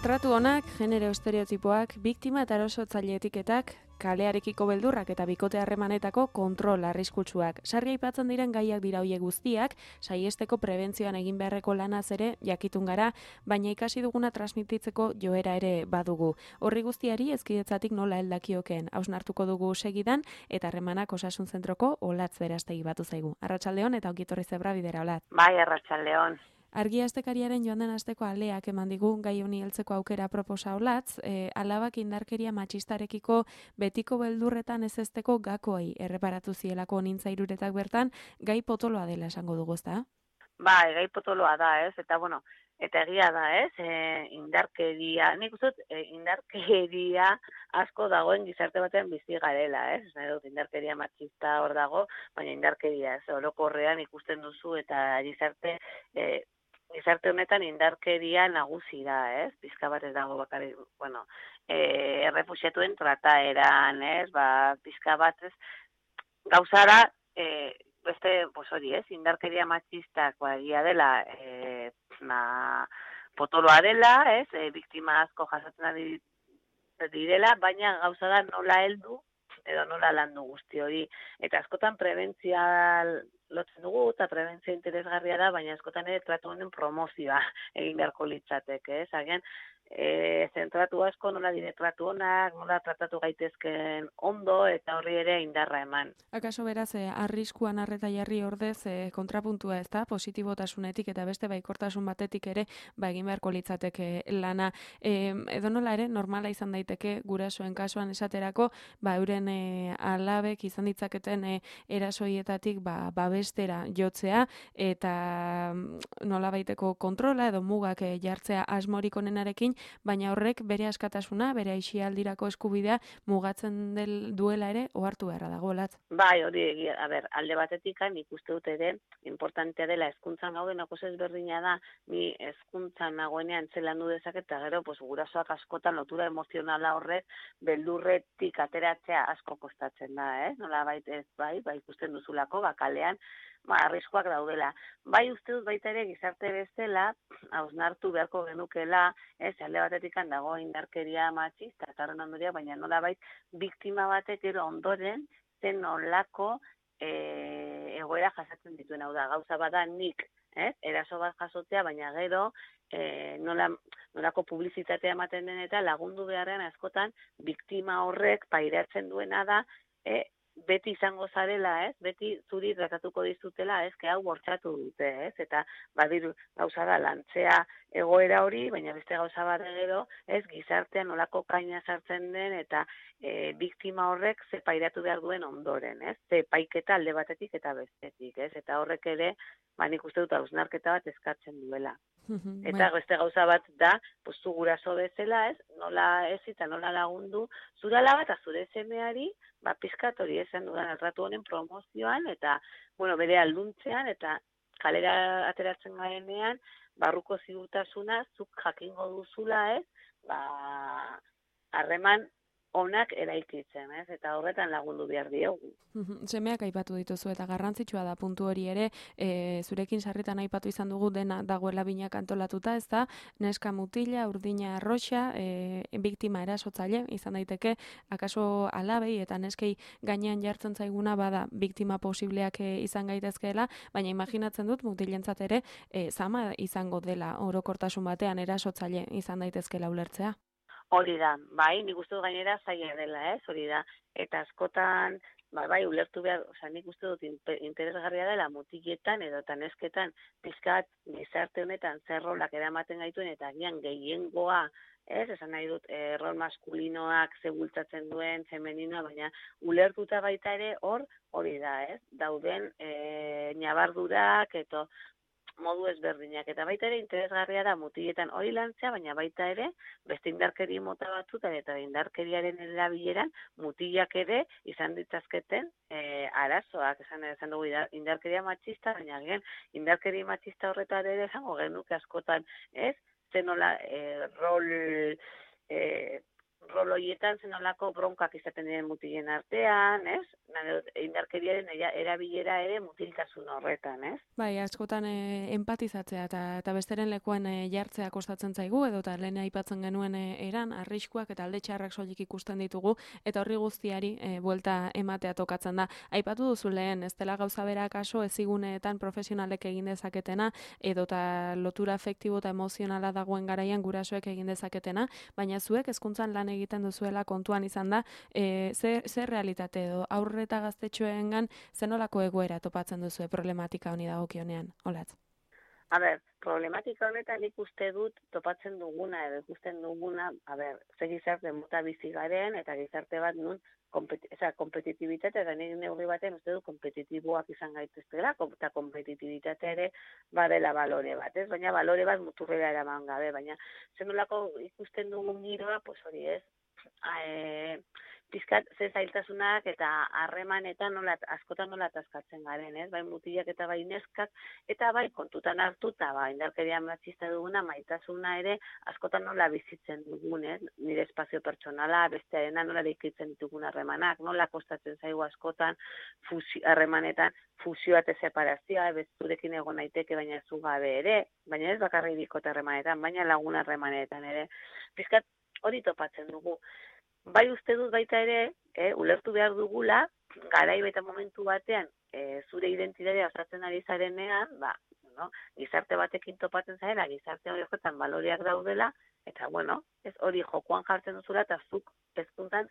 Tratu onak, genero estereotipoak, biktima eta erasotzaile etiketak, kalearekiko beldurrak eta bikote harremanetako kontrol arriskutsuak. Sarri aipatzen diren gaiak dira hoiek guztiak, saiesteko prebentzioan egin beharreko lanaz ere jakitun gara, baina ikasi duguna transmititzeko joera ere badugu. Horri guztiari ezkidetzatik nola heldakioken hausnartuko dugu segidan eta harremanak osasun zentroko Olatz Berastegi batu zaigu. Arratsaldeon eta ongi etorri Zebra bidera, Olatz. Bai, arratsaldeon. Argia astekariaren joan den asteko aleak eman digu gai honi heltzeko aukera proposa Olatz, alabak indarkeria matxistarekiko betiko beldurretan ezesteko gakoei erreparatu zielako nintza iruretak bertan, gai potoloa dela esango dugu, ezta? Bai, gai potoloa da, ez? Eta bueno, eta egia da, ez? Indarkeria, nik uste dut indarkeria asko dagoen gizarte batean bizi garela, ez? Indarkeria matxista hor dago, baina indarkeria, ez? Orokorrean ikusten duzu eta gizarte honetan indarkeria nagusi da, ez? Pizka bat ez dago bakarrik, bueno, errefuxiatuen trataeran, ez? Pizka bat, ez? Gauzara, beste, pues hori, ez? Indarkeria matxistak egia dela, potoloa dela, ez? Biktima asko jasatzen ari direla, baina gauza da nola heldu edo nola landu guzti hori. Eta askotan prebentzia lotzen dugu, eta prebentzia interesgarria da, baina askotan ere tratu honen promozioa egin beharko litzateke, ez? Agian, zentratu asko nola dire tratu honak, nola tratatu gaitezken ondo, eta horri ere indarra eman. Akaso beraz, arriskuan arreta jarri ordez kontrapuntua, ez da? Positibotasunetik eta beste baikortasun batetik ere egin beharko litzateke lana. Edonola ere, normala izan daiteke gurasoen kasuan esaterako, euren alabek izan ditzaketen erasoietatik babestera jotzea eta nola baiteko kontrola edo mugak jartzea asmorik onenarekin, baina horrek bere askatasuna, bere aisialdirako eskubidea mugatzen duela ere ohartu beharra dago, Olatz. Bai, hori egia, alde batetik nik uste dut ere importantea dela hezkuntzan gauden oso ezberdina da, ni hezkuntzan nagoenean zelandu dezaket eta gero gurasoak askotan lotura emozionala horrek beldurretik ateratzea asko kostatzen da, nola ez bai ikusten duzulako kalean arriskuak daudela. Bai uste dut baita ere gizarte bezala hausnartu beharko genukela, alde batetik dago indarkeria matxista eta horren ondoria, baina nolabait biktima batek gero ondoren zen nolako egoera jasatzen dituen, hau da, gauza bada nik, eraso bat jasotzea, baina gero nolako publizitatea ematen den eta lagundu beharrean askotan biktima horrek pairatzen duena da, beti izango zarela, beti zuri tratatuko dizutela, hau bortxatu dute, eta badiru gauza da lantzea egoera hori, baina beste gauza bat gero, gizartean nolako kaina sartzen den eta biktima horrek ze pairatu behar duen ondoren, ze paiketa alde batetik eta bestetik, eta horrek ere, nik uste dut hausnarketa bat eskatzen duela. Eta beste gauza bat da, zu guraso bezala, nola ez eta nola lagundu, zure alaba eta zure semeari, pizkat hori esan dudan tratu honen promozioan, eta, bere alduntzean, eta kalera ateratzen garenean, barruko ziurtasuna, zuk jakingo duzula, harreman onak eraikitzen, eta horretan lagundu behar diogu. Semeak aipatu dituzu eta garrantzitsua da puntu hori ere, zurekin sarritan aipatu izan dugu dena dagoela binak antolatuta, ez da, neska mutila, urdina arroxa, biktima erasotzaile, izan daiteke, akaso alabei eta neskei gainean jartzen zaiguna bada biktima posibleak izan gaitezkeela, baina imaginatzen dut mutilentzat ere, zama izango dela orokortasun batean erasotzaile izan daitezkeela ulertzea. Hori da, nik uste dut gainera zaila dela, hori da, eta askotan, ulertu behar, nik uste dut interesgarria dela mutiletan edo nesketan pizkat gizarte honetan zer rolak eramaten gaituen eta agian gehiengoa, esan nahi dut, rol maskulinoak ze bultzatzen duen, femeninoa, baina ulertuta baita ere hori da, dauden ñabardurak eta modu ezberdinak, eta baita ere interesgarria da mutiletan hori lantzea, baina baita ere beste indarkeri mota batzutan eta indarkeriaren erabileran mutilak ere izan ditzazketen arazoak, esan dugu indarkeria matxista, baina indarkeria matxista horretan ere esango genuke askotan, zenola rol roloietan zenolako bronkak izaten diren mutilen artean, ez? Indarkeriaren erabilera ere mutiltasun horretan, ez? Bai, askotan empatizatzea eta besteren lekuan jartzea kostatzen zaigu, edo eta lehen aipatzen genuen eran, arriskuak eta alde txarrak soilik ikusten ditugu, eta horri guztiari buelta ematea tokatzen da. Aipatu duzu lehen, ez dela gauza bera kaso eziguneetan profesionalek egin dezaketena, edo eta lotura afektibo eta emozionala dagoen garaian gurasoek egin dezaketena, baina zuek hezkuntzan lan egiten duzuela kontuan izan da, zer realitate edo aurre eta gaztetxoengan zenolako egoera topatzen duzue problematika honi dagokionean, Olatz? A ber, problematika honetan ikuste dut topatzen duguna edo ikusten duguna, ze gizarte mota bizi garen eta gizarte bat nun kompetitibitate eta nire neurri batean uste du kompetitiboak izan gaitezkela eta kompetitibitatea ere badela balore bat, ez? Baina balore bat muturrera eraman gabe, baina zenolako ikusten dugun giroa, pues hori ez, pizkat ze zailtasunak eta harremanetan askotan nola ataskatzen garen, ez? Bai mutilak eta bai neskak, eta bai kontutan hartuta, indarkeria matxista duguna, maitasuna ere askotan nola bizitzen dugun, ez? Nire espazio pertsonala, bestearena nola deikitzen ditugun harremanak, nola kostatzen zaigu askotan harremanetan fusioa eta separazioa, bezurekin egon naiteke baina ez gabe ere, baina ez bakarrik bikote harremanetan, baina lagun harremanetan ere. Pizkat hori topatzen dugu. Bai uste dut baita ere, ulertu behar dugula, garai eta momentu batean, zure identitatea osatzen ari zarenean, gizarte batekin topatzen zarela, gizarte horietan baloreak daudela, eta ez hori jokoan jartzen duzula, eta zuk hezkuntzan,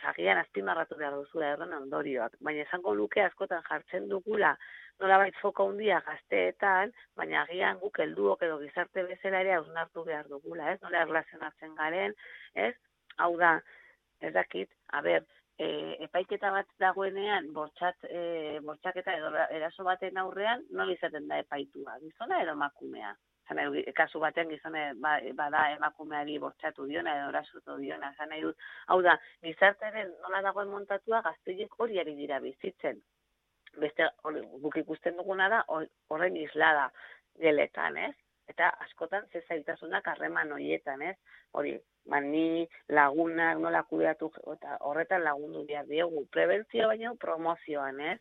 agian azpimarratu behar duzula erren ondorioak. Baina esango luke askotan jartzen dugula, nolabait foka handia gazteetan, baina agian guk helduok edo gizarte bezala ere hausnartu behar dugula, ez? Nola erlazionatzen garen, ez? Hau da, ez dakit, epaiketa bat dagoenean, bortxaketa edo eraso baten aurrean, nola izaten da epaitua, gizona edo emakumea. Kasu baten gizone bada emakumeari bortxatu diona edo erasotu diona, nahi dut. Hau da, gizartearen nola dagoen montatua gazteiek hori ari dira bizitzen. Beste, guk ikusten duguna da, horren islada geletan, ez? Eta askotan ze zailtasunak harreman horietan, ez? Hori, ni lagunak nola kudeatu eta horretan lagundu behar diegu. Prebentzio baina promozioan, ez?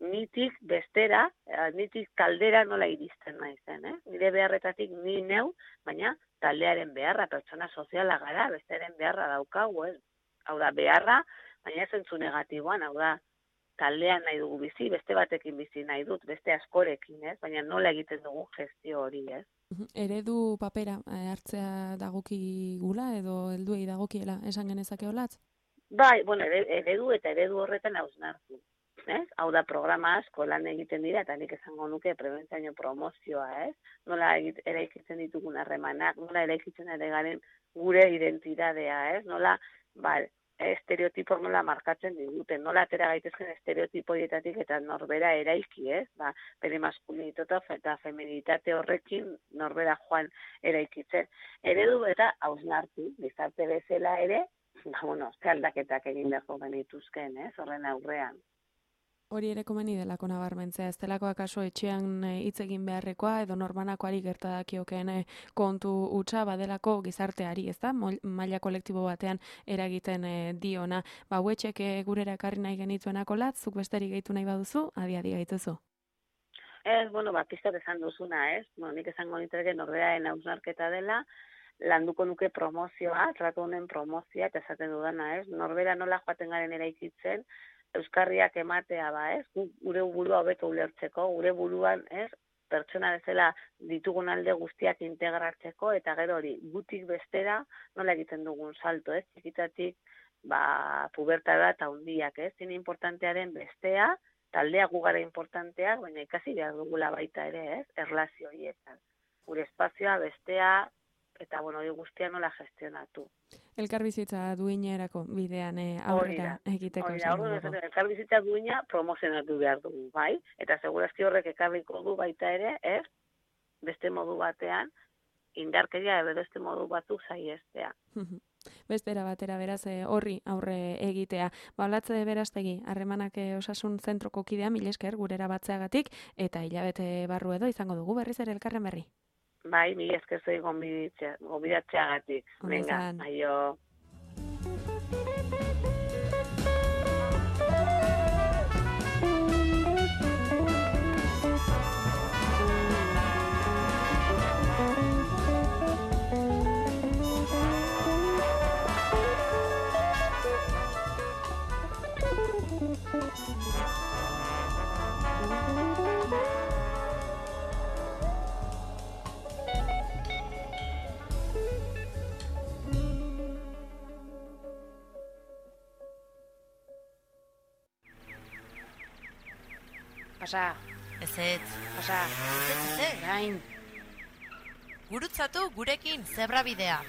Nitik bestera, nitik kaldera nola iristen naizen, ez? Nire beharretatik ni neu, baina taldearen beharra, pertsona soziala gara, besteren beharra daukagu, ez? Hau da, beharra, baina ez entzu negatiboan, hau da, taldean nahi dugu bizi, beste batekin bizi nahi dut, beste askorekin, ez? Baina nola egiten dugu gestio hori, ez? Eredu papera hartzea dagokigula edo helduei dagokiela esan genezake Olatz? Bai, eredu eta eredu horretan hausnartu. Hau da, programa asko lan egiten dira, eta nik esango nuke prebentzio promozioa, ez? Nola eraikitzen ditugun harremanak, nola eraikitzen ere garen gure identitatea, ez? Nola, estereotipo nola markatzen diguten, nola atera gaitezken estereotipo dietatik eta norbera eraiki, ez? Bere maskulinitatea eta feminitate horrekin norbera joan eraikitzen. Eredu eta hausnartu, gizarte bezala ere, ze aldaketak egin beharko genituzken, ez? Horren aurrean. Hori ere komeni delako nabarmentzea, ez delako akaso etxean hitz egin beharrekoa edo norbanakoari gertadakiokeen kontu hutsa badelako gizarteari, ez da? Maila kolektibo batean eragiten diona. Hauetxek gurera ekarri nahi genituenako Olatz, zuk besterik gehitu nahi baduzu, adi gaituzu. Ez, pizkat esan duzuna, ez? Nik esango nituzke norberaren hausnarketa dela, landuko nuke promozioa, tratu honen promozioa, eta esaten dudana, ez? Norbera nola joaten garen eraikitzen, euskarriak ematea, ez? Gure burua hobeto ulertzeko, gure buruan, ez? Pertsona bezala ditugun alde guztiak integratzeko, eta gero hori, gutik bestera nola egiten dugun salto, ez? Txikitatik, pubertara eta hundiak, ez? Zine importantearen bestea, taldea gugara importanteak, baina ikasi behar dugula baita ere, ez? Erlazio horietan. Gure espazioa, bestea, eta hori guztia nola gestionatu. Elkarbizitza duinerako bidean aurrera egiteko. Elkarbizitza duina promozionatu behar dugu, bai? Eta segurazki horrek ekarriko du baita ere, ez? Beste modu batean, indarkeria edo beste modu batzuk saiestea. Bestera batera beraz horri aurre egitea. Olatz Berastegi, harremanak osasun zentroko kidea, mil esker gurera batzeagatik, eta hilabete barru edo izango dugu berriz ere elkarren berri. Bai, mil esker zoi gonbidatzeagatik. Venga, aio. Pasa, Ez. pasa, Ez. gain. Gurutzatu gurekin zebrabidea.